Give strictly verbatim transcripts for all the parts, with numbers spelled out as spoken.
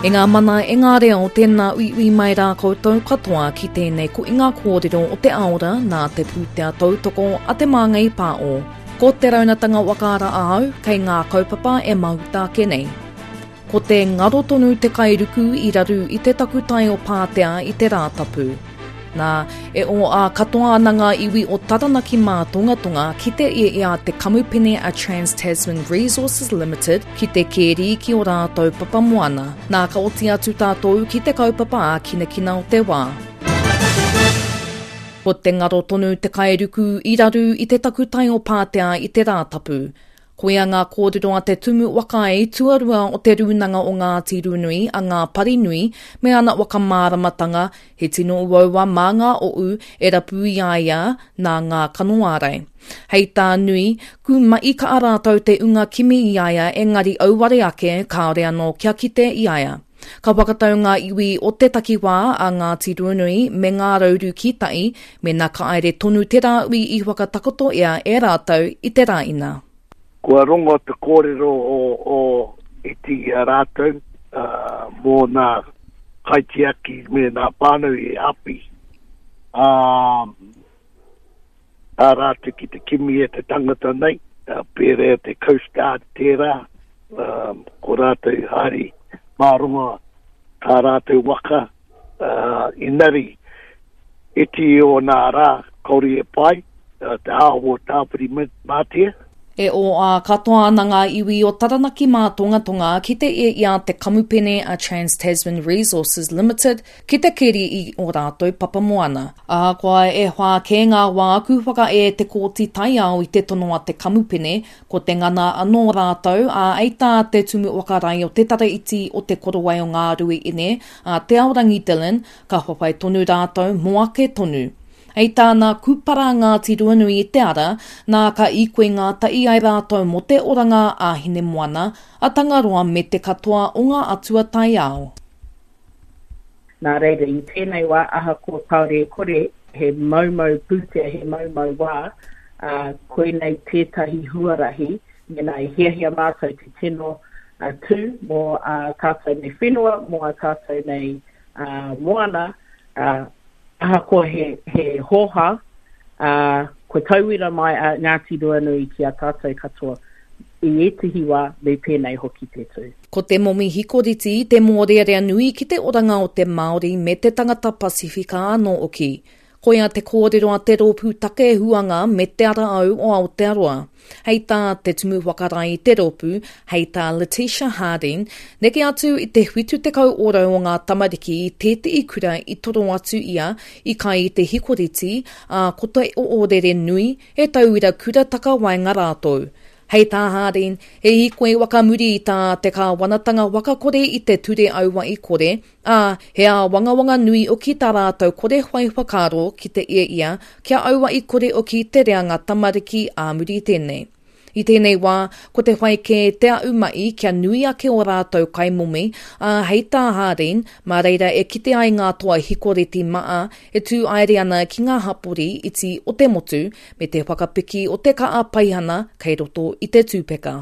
E ngā mana, e ngā reo, tēnā uiui mai rā koutou katoa ki tēnei koinga kōrero o te aora nā te pūtea tautoko a Te Māngai Pāo. Ko te raunatanga wakaara ahau kei ngā kaupapa e mahuta ake nei. Ko te ngaro tonu te kairuku i raru i te takutai o Pātea i te Rātapu. Nā, e o ā katoa ana ngā iwi o Taranaki mātongatonga ki te ia i a te kamupene a Trans-Tasman Resources Limited ki te kēri ki o rātou papamoana. Nā, ka oti atu tātou ki te kaupapa ā-kinakina o te wā. Ko te ngaro tonu te kairuku i raru i te takutai o Pātea i te Rātapu. Koia ngā kōrero a te Tumu Whakaae tuarua o te Rūnanga o Ngāti Ruanui a Ngā Parinui me ana whakamāramatanga he tino uaua mā ngā o'u e rapu i a ia nā ngā kanoārai. Hei tā Nui, ku ma'i ka rātou te unga kimi i a ia engari auare ake kāore anō kia kite i a ia. Ka whakatau ngā iwi o te takiwā a Ngāti Ruanui me ngā rauru ki tai, mena ka aere tonu te rāui i whakatakoto ea e rātou i te rāina. Kua rongo te kōrero o, o iti i a rātou uh, mō nā kaitiaki me nā whānau i api. Um, tā rātou ki te kimi e te tangata nei, uh, pērā te Coast Guard tērā, um, ko rātou haere mā runga tā rātou waka, uh, inari iti o nā rā, kauri e pai, uh, te āho o Tāwhiri Mātia. E o ā katoa ana ngā iwi o Taranaki mātongatonga ki te e i a te kamupene a Trans-Tasman Resources Limited ki te keri i o rātou papamoana. Ahakoa e whā kē ngā wā ku whakae te kōti taiao i te tono a te kamupene, ko te ngana anō rātou a ei tā te tumu whakarae o te tara iti o te korowai o ngā rui ine a Te Aorangi Dillon, ka whawhai tonu rātou mō ake tonu. Hei tāna kūpara Ngāti Ruanui i te ara, nā ka ikoe ngā tai ai rātou mō te oranga a Hinemoana, a Tangaroa me te katoa o ngā atua taiao. Nā reira, i tēnei wā, ahakoa kāore e kore, he maumau pūtea, he maumau wā, uh, koinei tētahi huarahi, mena e hiahia mātou te tino uh, tū mō uh, tātou nei whenua, mō a tātou nei uh, moana, uh, ahakoa he, he hoha, uh, ko tauira mai a Ngāti Ruanui ki a tātou katoa. I ētehi wā, me pēnei hoki te tū. Ko te momi hikoriti te mōrearea nui ki te oranga o te Māori me te tangata Pasifika anō oki. Koia te kōrero a te rōpū take huanga me te ara au o Aotearoa. Hei tā te tumu whakarae i te rōpū, hei tā Letitia Harding, neke atu i te whitu tekau ōrau o ngā tamariki i tētehi kura i toro atu ia i kai i te hikoriti, ā ko te oorere nui e tauira kura takawaenga rātou. Hei tā Harding, e hikoi wakamuri i tā te kāwanatanga wakakore i te ture aua i kore, ā, he āwangawanga nui oki tā rātou kore whai whakaaro ki te ia ia, kia aua i kore oki te reanga tamariki ā muri tēnei. I tēnei wā, ko te whai kē te au mai kia nui ake o rātou kaimomi, ā hei tā Harding, mā reira e kite ai ngā toa hikoreti maa e tū aere ana ki ngā hapori iti o te motu me te whakapiki o te kaa paihana kei roto i te tūpeka.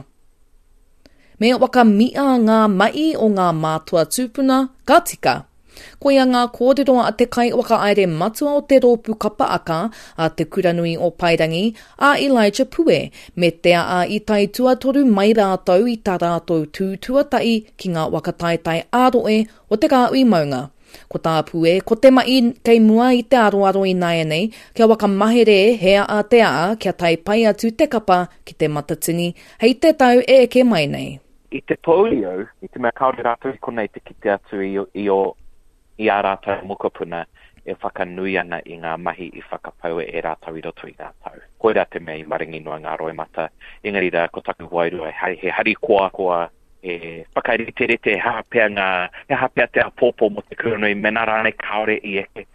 Me wakamia ngā mai o ngā mātua tūpuna, ka tika. Koia ngā kōrero a te kai whakaere matua o te rōpū kapa aka a te Kuranui o Paerangi, a Elijah Pue, me te aa i tai tuatoru mai rātou i tā rātou tū tuatahi ki ngā whakataetae ā-rohe o te kāhui maunga. Ko tā Pue, ko te mai kei mua i te aroaro i nāianei, kia whakamahere he aa te aa kia tai pai atu te kapa ki te matatini, hei te tau e eke mai nei. I te pōuri au, i te mea kāore rātou i konei te kite atu i, i, o, i ā rātou mokopuna e whakanui ana i ngā mahi i whakapaua e rātou i roto i ngā tau. Koirā te mea i maringi noa ngā roimata. Engari rā, ko taku wairua, he harikoa koa, he whakariterite, he aha pea ngā, he aha pea te āpōpō mō te Kuranui, mena rānei kāore i eke.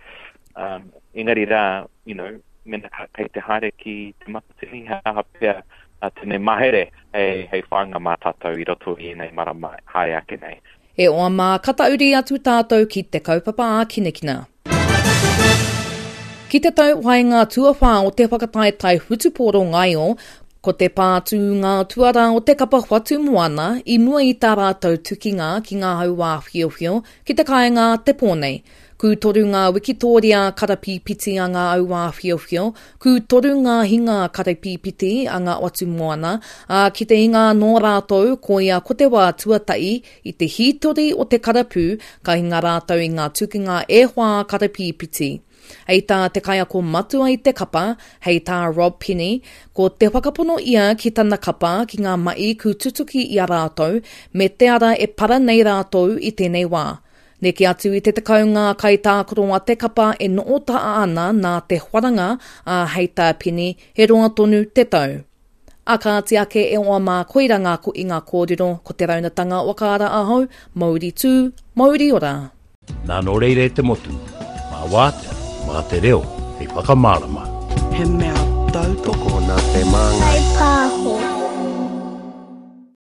Um, engari rā, you know, mena ka, kei te haere ki te matatini, he aha pea uh, tēnei mahere hei, hei whāinga mā tātou i roto i ēnei marama haere ake nei. E oa mā, katauri atu tātou ki te kaupapa ā-kinakina. Ki te tau waenga tuawhā o te whakataetae whutupōro ngaio, Ko te pātū ngā tuarā o te kapa Whatumoana i mua i tā rātou tukinga ki ngā hauāwhiowhio ki te kāinga te pō nei. Kū toru ngā wikitōria karapīpiti a ngā auāwhiowhio, kū toru ngā hinga karapīpiti a ngā Whatumoana, ā, ki te hinga anō rātou koia ko te wā tuatahi i te hītori o te karapū ka hinga rātou i ngā tukinga e whā karapīpiti. Hei tā te kaiako matua i te kapa, hei tā Rob Penny, ko te whakapono ia ki tana kapa ki ngā mahi ku tutuki i a rātou me te ara e para nei rātou i tēnei wā. Neke atu i te tekau ngā kaitākaro a te kapa e noho taha ana nā te wharanga, ā, hei tā Penny, he roa tonu te tau. A kāti ake e oa mā koira ngā ko i ngā kōrero, ko te raunatanga wakaara ahau, mauri tū, mauri ora. Nā nō reira e te motu, mā wātea, mā te reo, hei whakamārama. He mea tautoko nā te māngai. Hei pā